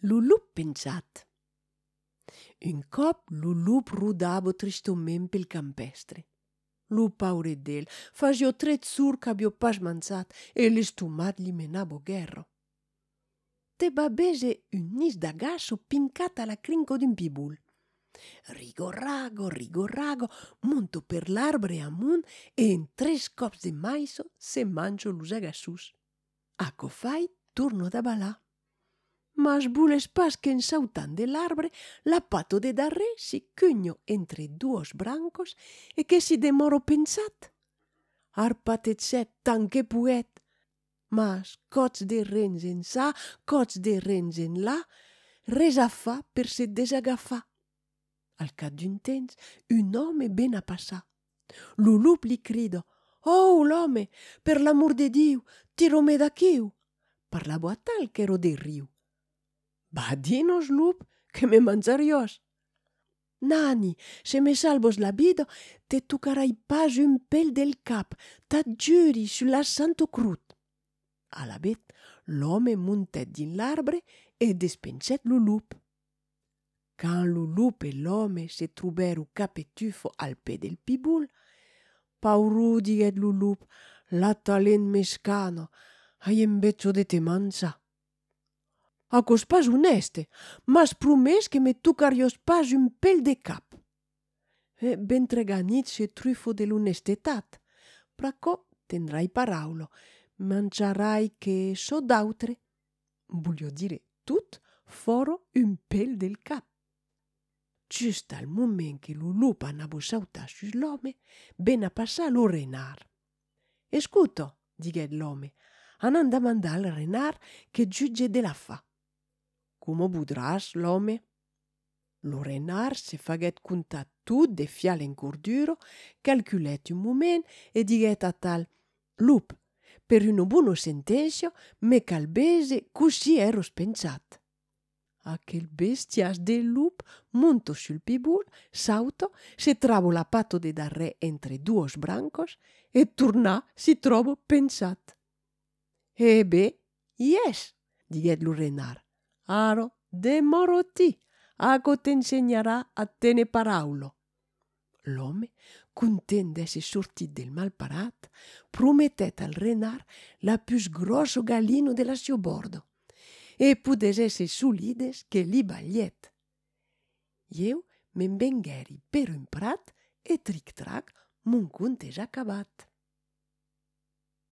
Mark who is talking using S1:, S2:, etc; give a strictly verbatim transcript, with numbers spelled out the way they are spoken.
S1: Lulup pensat. Un cop Lulup rodava tristament pel campestre. Lo paure d'ell facio tret sur qu'aviò pas manzat e l'estomac li menava guerra. Te babese un nis d'agasso pincat alla crinco d'un pibul. Rigo-rago, rigo-rago, monto per l'arbre amunt e in tres cops de maiso se mangio los agassos. Aco fai, torno da balà. Mas vules pas qu'en sautant de l'arbre, la pato de darrer si cugno entre duos brancos e que si demoro pensat. Arpatezet tant que puet, mas cots de rens en ça, cots de rens en là, res a fa per se desagafar. Al cap d'un temps, un home ben a passar. Lulup li crida: «Oh, l'home, per l'amor de Diu, tiro-me d'aquiu!» Parlava tal qu'ero de riu. «Va, dinos, lup, que me mangiariós!» «Nani, se me salvos la vida, te tocarai pas un pèl del cap, t'adjuri su la Santo Crut!» A la bet, l'home montet din l'arbre e despensèt Lulup. Quand Lulup e l'home se trobèro capetufo al pè del pibul, «Pauru», diguet Lulup, «la talent mescana, ai embezzo de te mangiar!» «Acos pas honeste, m'has promès que me tocariós pas un pèl de cap!» E ben treganit se trufo de l'honestetat. Praquò tendrai paraulo, mangiarai che so d'autre. Voglio dire tut foro un pèl del cap. Just al moment que Lulup anava a sautar sus l'home, ben a passar lo renard. «Escuto», diguet l'home, anant a mandar al renard que jutge de la fa. «Como vodràs, l'home?» Lo renard se faguet contar tot de fial en corduro, calculet un moment e diguet a tal: «Lup, per una bona sentença me cal bese così eros pensat.» Aquel bestias de lup monto sul pibul, sauto, se travo la pato de darrer entre duos brancos e tornà si trobo pensat. «E bé, yes», diguet lo renard. «Aro, demoro-ti, aco t'ensenharà a tene paraulo.» L'home, content d'èsser sortit del malparat, prometet al renard la pus grosso galino de la sio bordo. E podes èsser solides que li balhet. Jeu me'n venguèri per un prat e tric-trac, mon conte és acabat.